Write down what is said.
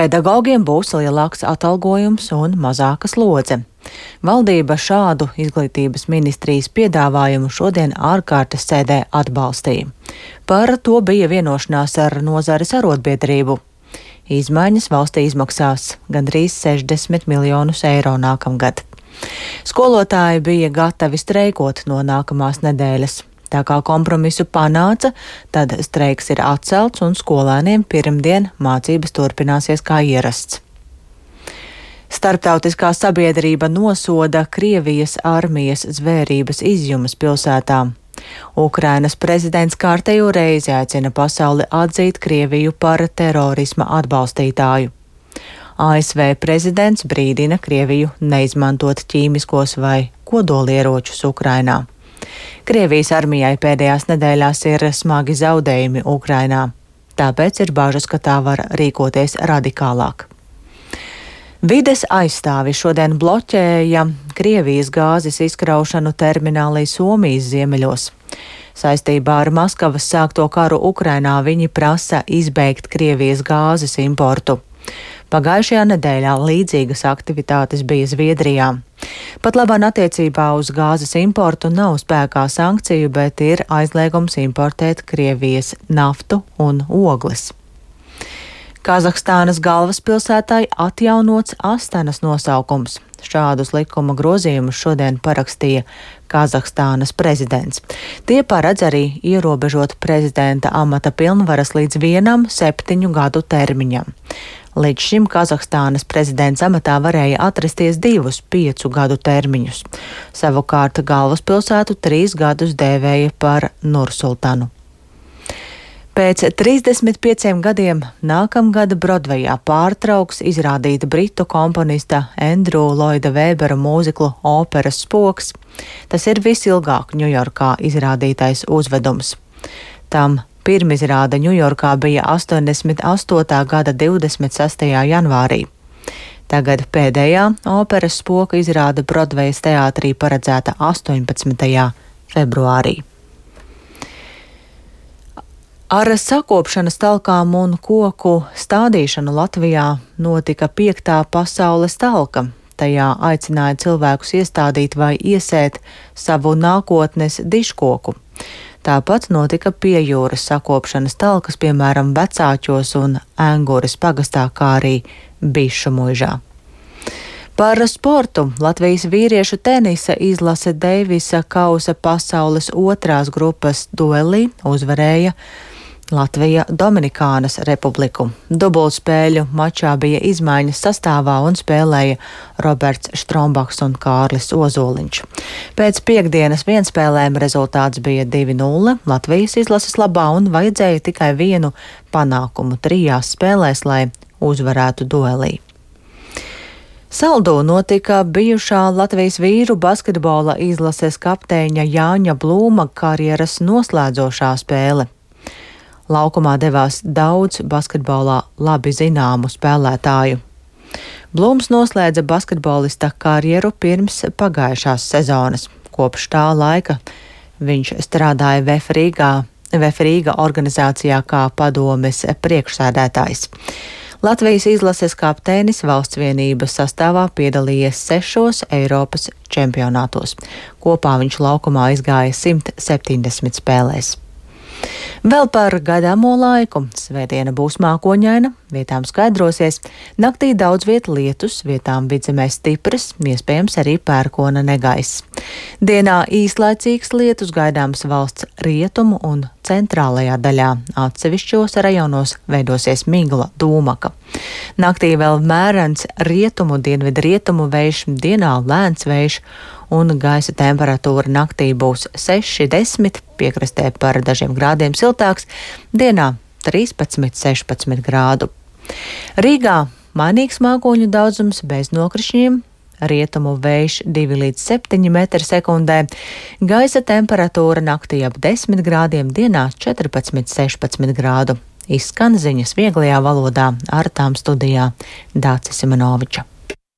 Pedagogiem būs lielāks atalgojums un mazāka slodze. Valdība šādu izglītības ministrijas piedāvājumu šodien ārkārtas sēdē atbalstīja. Par to bija vienošanās ar nozares arotbiedrību. Izmaiņas valstī izmaksās gandrīz 60 miljonus eiro nākamgad. Skolotāji bija gatavi streikot no nākamās nedēļas. Tā kā kompromisu panāca, tad streiks ir atcelts un skolēniem pirmdien mācības turpināsies kā ierasts. Starptautiskā sabiedrība nosoda Krievijas armijas zvērības izjumes pilsētā. Ukrainas prezidents kārtējo reizi aicina pasauli atzīt Krieviju par terorisma atbalstītāju. ASV prezidents brīdina Krieviju neizmantot ķīmiskos vai kodolieročus Ukrainā. Krievijas armijai pēdējās nedēļās ir smagi zaudējumi Ukrainā, tāpēc ir bažas, ka tā var rīkoties radikālāk. Vides aizstāvi šodien bloķēja Krievijas gāzes izkraušanu terminālī Somijas ziemeļos. Saistībā ar Maskavas sākto karu Ukrainā viņi prasa izbeigt Krievijas gāzes importu. Pagājušajā nedēļā līdzīgas aktivitātes bija Zviedrijā. Pat labāk attiecībā uz gāzes importu nav spēkā sankciju, bet ir aizliegums importēt Krievijas naftu un ogles. Kazahstānas galvaspilsētai atjaunots Astanas nosaukums. Šādus likuma grozījumus šodien parakstīja Kazahstānas prezidents. Tie paredz arī ierobežot prezidenta amata pilnvaras līdz 7 gadu termiņam. Līdz šim Kazahstānas prezidents amatā varēja atrasties 2 5 gadu termiņus. Savukārt galvaspilsētu 3 gadus dēvēja par Nursultanu. Pēc 35 gadiem nākamgad Brodvejā pārtrauks izrādīt britu komponista Andrew Lloyda Webera mūziklu operas Spoks. Tas ir visilgāk Ņujorkā izrādītais uzvedums. Tam pirmizrāde Ņujorkā bija 88. gada 26. janvārī. Tagad pēdējā operas Spoka izrāde Brodvejas teātrī paredzēta 18. februārī. Ar sakopšanas talkām un koku stādīšanu Latvijā notika 5. pasaules talka. Tajā aicināja cilvēkus iestādīt vai iesēt savu nākotnes dižkoku. Tāpat notika pie jūras sakopšanas talkas, piemēram, Vecāķos un Enguras pagastā, kā arī Bišu muižā. Par sportu Latvijas vīriešu tenisa izlase Deivisa kausa pasaules 2. grupas duelī uzvarēja Latvija Dominikānas republiku. Dubultspēļu mačā bija izmaiņas sastāvā un spēlēja Roberts Štrombaks un Kārlis Ozoliņš. Pēc piekdienas vienspēlēm rezultāts bija 2-0 Latvijas izlases labā un vajadzēja tikai vienu panākumu 3 spēlēs, lai uzvarētu duelī. Saldū notika bijušā Latvijas vīru basketbola izlases kapteiņa Jāņa Blūma karjeras noslēdzošā spēle. Laukumā devās daudz basketbolā labi zināmu spēlētāju. Blūms noslēdza basketbolista karjeru pirms pagājušās sezonas. Kopš tā laika viņš strādāja Vefrīga organizācijā kā padomes priekšsēdētājs. Latvijas izlases kapteinis valsts vienības sastāvā piedalījies 6 Eiropas čempionātos. Kopā viņš laukumā izgāja 170 spēlēs. Vēl par gaidāmo laiku. Svētdiena būs mākoņaina, vietām skaidrosies, naktī daudz viet lietus, vietām vidzemē stipras, iespējams arī pērkona negaiss. Dienā īslaicīgs lietus gaidāms valsts rietumu un centrālajā daļā, atsevišķos rajonos veidosies migla dūmaka. Naktī vēl mērens rietumu, dienvidrietumu vējš, dienā lēns vējš, un gaisa temperatūra naktī būs 6-10, piekrastē par dažiem grādiem siltāks, dienā 13-16 grādu. Rīgā mainīgs mākoņu daudzums bez nokrišņiem, rietumu vējš 2-7 m/sekundē, gaisa temperatūra naktī ap 10 grādiem, dienā 14-16 grādu. Izskan ziņas vieglajā valodā, ar tām studijā Dācis Simonoviča.